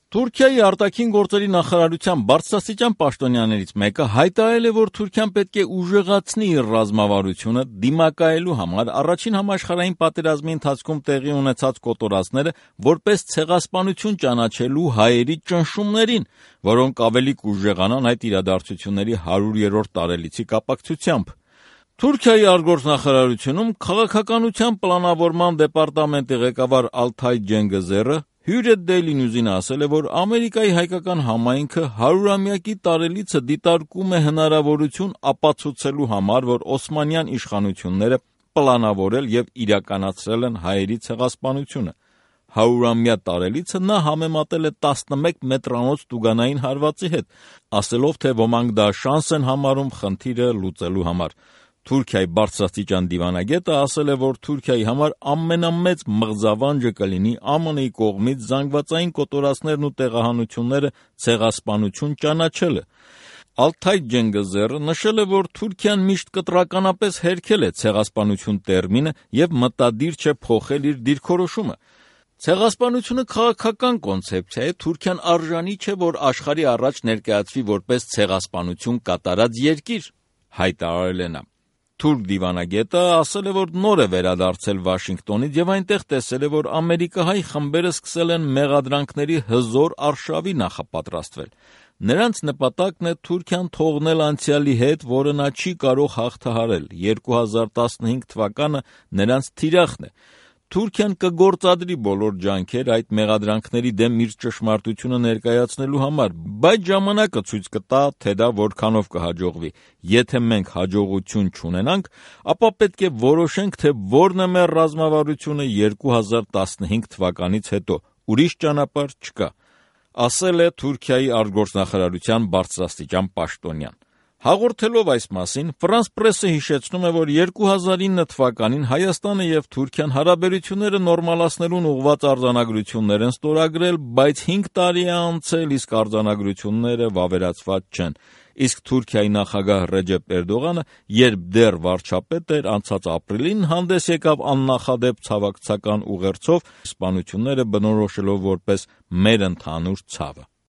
Թուրքիայի արտաքին գործերի նախարարության բարձրաստիճան պաշտոնյաներից մեկը հայտարարել է, որ Թուրքիան պետք է ուժեղացնի իր ռազմավարությունը դիմակայելու համար առաջին համաշխարհային պատերազմի ընթացքում տեղի ունեցած կոտորածները որպես ցեղասպանություն ճանաչելու հայերի ճնշումներին, որոնք ավելի կուժեղանան այդ իրադարձությունների 100-րդ տարելիցի կապակցությամբ։ Թուրքիայի արտգործնախարարությունում քաղաքականության պլանավորման դեպարտամենտի ղեկավար Ալթայ Ջենգեզերը Hürriyet Daily News-ին ասել է, որ Ամերիկայի հայկական համայնքը 100-ամյակի տարելիցը դիտարկում է հնարավորություն ապացուցելու համար, որ օսմանյան իշխանությունները պլանավորել եւ իրականացրել են հայերի ցեղասպանությունը։ 100-ամյա տարելիցը նա համեմատել է 11 մետրանոց տուգանային հարվածի հետ, ասելով, թե ոմանք դա շանս են համարում խնդիրը լուծելու համար։ Թուրքիայի բարձրաստիճան դիվանագետը ասել է, որ Թուրքիայի համար ամենամեծ մղձավանջը կլինի ԱՄՆ-ի կողմից զանգվածային կոտորածներն ու տեղահանությունները ցեղասպանություն ճանաչելը։ Ալթայ Ջենգեզերը նշել է, որ Թուրքիան միշտ կտրականապես հերքել է ցեղասպանություն տերմինը եւ մտադիր չէ փոխել իր դիրքորոշումը։ Ցեղասպանությունը քաղաքական կոնցեպցիա է, Թուրքիան արժանի չէ, որ աշխարհի առաջ ներկայացվի որպես ցեղասպանություն կատարած երկիր, հայտարարել է նա։ Թուրք դիվանագետը ասել է, որ նոր է վերադարձել Վաշինգտոնից եւ այնտեղ տեսել է, որ ամերիկահայ խմբերը սկսել են մեղադրանքների հզոր արշավի նախապատրաստվել։ Նրանց նպատակն է Թուրքիան թողնել անցյալի հետ, որը նա չի կարող հաղթահարել։ 2015 թվականը նրանց թիրախն է։ Թուրքիան կգործադրի բոլոր ջանքեր այդ մեղադրանքների դեմ իր ճշմարտությունը ներկայացնելու համար, բայց ժամանակը ցույց կտա, թե դա որքանով կհաջողվի։ Եթե մենք հաջողություն չունենանք, ապա պետք է որոշենք, թե որն է մեր ռազմավարությունը 2015 թվականից հետո։ Ուրիշ ճանապարհ չկա, ասել է Թուրքիայի արտգործնախարարության բարձրաստիճան պաշտոնյան։ Հաղորդելով այս մասին, Ֆրանս պրեսը հիշեցնում է, որ 2009 թվականին Հայաստանը եւ Թուրքիան հարաբերությունները նորմալացնելուն ուղղված արձանագրություններ են ստորագրել, բայց 5 տարի է անցել, իսկ արձանագրությունները վավերացված չեն։ Իսկ Թուրքիայի նախագահ Ռեջեփ Էրդողանը, երբ դեռ վարչապետ էր, անցած ապրիլին հանդես եկավ աննախադեպ ցավակցական ուղերձով, սպանությունները բնորոշելով որպես մեր ընդհանուր ցավը։